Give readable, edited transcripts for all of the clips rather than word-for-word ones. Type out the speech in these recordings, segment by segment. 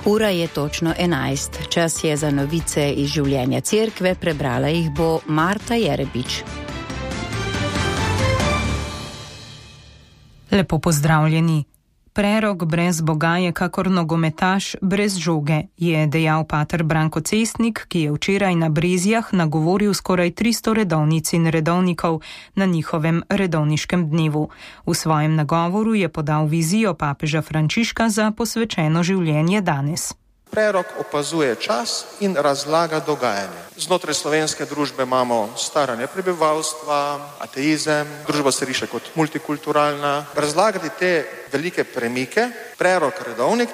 Ura je točno 11. Čas je za novice iz življenja cerkve, prebrala jih bo Marta Jerebič. Lepo pozdravljeni. Prerok brez Boga je kakor nogometaš brez žoge, je dejal pater Branko Cestnik, ki je včeraj na Brezjah nagovoril skoraj 300 redovnic in redovnikov na njihovem redovniškem dnevu. V svojem nagovoru je podal vizijo papeža Frančiška za posvečeno življenje danes. Prerok opazuje čas in razlaga dogajanje. Znotraj slovenske družbe imamo staranje prebivalstva, ateizem, družba se riše kot multikulturalna. Razlagati te velike premike, prerok redovnik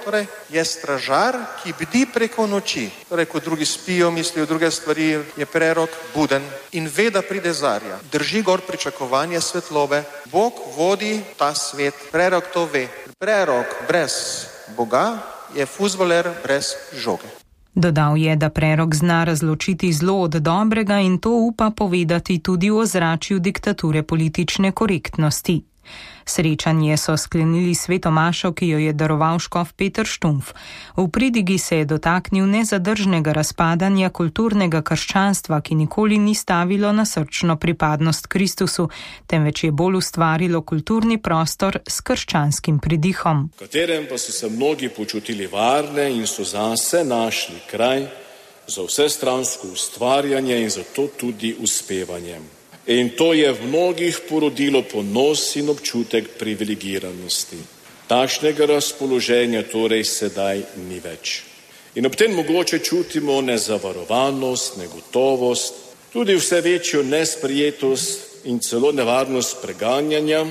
je stražar, ki bdi preko noči. Ko drugi spijo, mislijo druge stvari, je prerok buden in ve, da pride zarja. Drži gor pričakovanje svetlobe. Bog vodi ta svet. Prerok to ve. Prerok brez Boga je fuzbaler brez žoge. Dodal je, da prerok zna razločiti zlo od dobrega in to upa povedati tudi v ozračju diktature politične korektnosti. Srečanje so sklenili sveto mašo, ki jo je daroval škof Peter Štumpf. V pridigi se je dotaknil nezadržnega razpadanja kulturnega krščanstva, ki nikoli ni stavilo na srčno pripadnost Kristusu, temveč je bolj ustvarilo kulturni prostor s krščanskim pridihom. V katerem pa so se mnogi počutili varne in so zase našli kraj za vsestransko ustvarjanje in zato tudi uspevanje. In to je v mnogih porodilo ponos in občutek privilegiranosti. Takšnega razpoloženja torej sedaj ni več. In ob tem mogoče čutimo nezavarovanost, negotovost, tudi vse večjo nesprejetost in celo nevarnost preganjanja.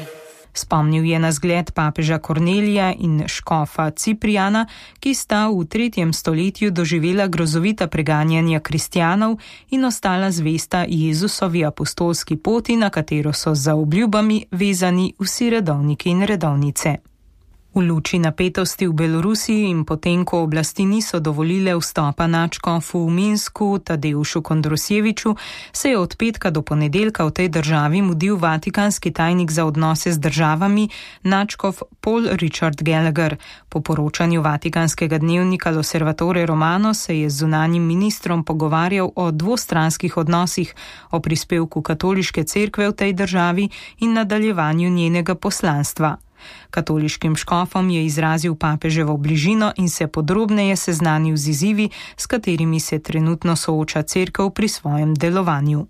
Spomnil je na zgled papeža Kornelija in škofa Ciprijana, ki sta v 3. stoletju doživela grozovita preganjanja kristjanov in ostala zvesta Jezusovi apostolski poti, na katero so za obljubami vezani vsi redovniki in redovnice. V luči napetosti v Belorusiji in potem, ko oblasti niso dovolile vstopa nadškofu v Minsku Tadeušu Kondrosjeviču, se je od petka do ponedeljka v tej državi mudil vatikanski tajnik za odnose z državami nadškof Paul Richard Gallagher. Po poročanju vatikanskega dnevnika L'Osservatore Romano se je z zunanjim ministrom pogovarjal o dvostranskih odnosih, o prispevku katoliške cerkve v tej državi in nadaljevanju njenega poslanstva. Katoliškim škofom je izrazil papeževo bližino in se podrobneje seznanil z izzivi, s katerimi se trenutno sooča cerkev pri svojem delovanju.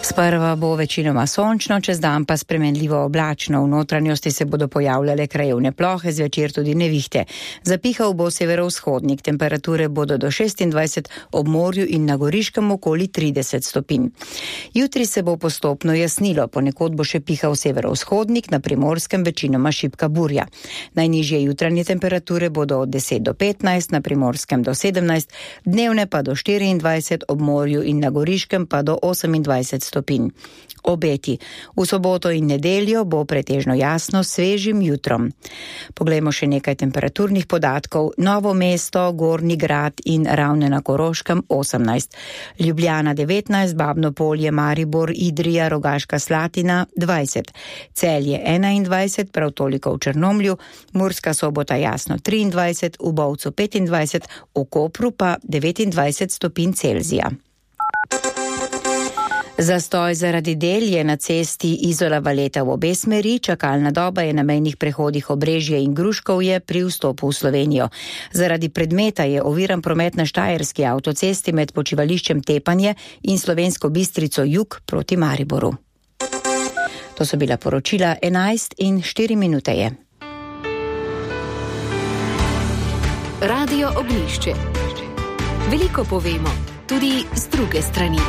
Sprva bo večinoma sončno, čez dan pa spremenljivo oblačno. V notranjosti se bodo pojavljale krajevne plohe, zvečer tudi nevihte. Zapihal bo severovzhodnik, temperature bodo do 26, ob morju in na Goriškem okoli 30 stopinj. Jutri se bo postopno jasnilo, ponekod bo še pihal severovzhodnik, na Primorskem večinoma šibka burja. Najnižje jutranje temperature bodo od 10 do 15, na Primorskem do 17, dnevne pa do 24, ob morju in na Goriškem pa do 28 stopinj. Obeti. V soboto in nedeljo bo pretežno jasno s svežim jutrom. Poglejmo še nekaj temperaturnih podatkov. Novo mesto, Gornji Grad in Ravne na Koroškem 18. Ljubljana 19, Babno Polje, Maribor, Idrija, Rogaška Slatina 20. Celje 21, prav toliko v Črnomlju, Murska Sobota jasno 23, v Bovcu 25, v Kopru pa 29 stopinj Celzija. Zastoj zaradi del je na cesti Izola-Valeta v obe smeri, čakalna doba je na mejnih prehodih Obrežje in Gruškovje pri vstopu v Slovenijo. Zaradi predmeta je oviran promet na Štajerski avtocesti med počivališčem Tepanje in Slovensko Bistrico jug proti Mariboru. To so bila poročila 11 in 4 minute je. Radio Ognjišče. Veliko povemo, tudi z druge strani.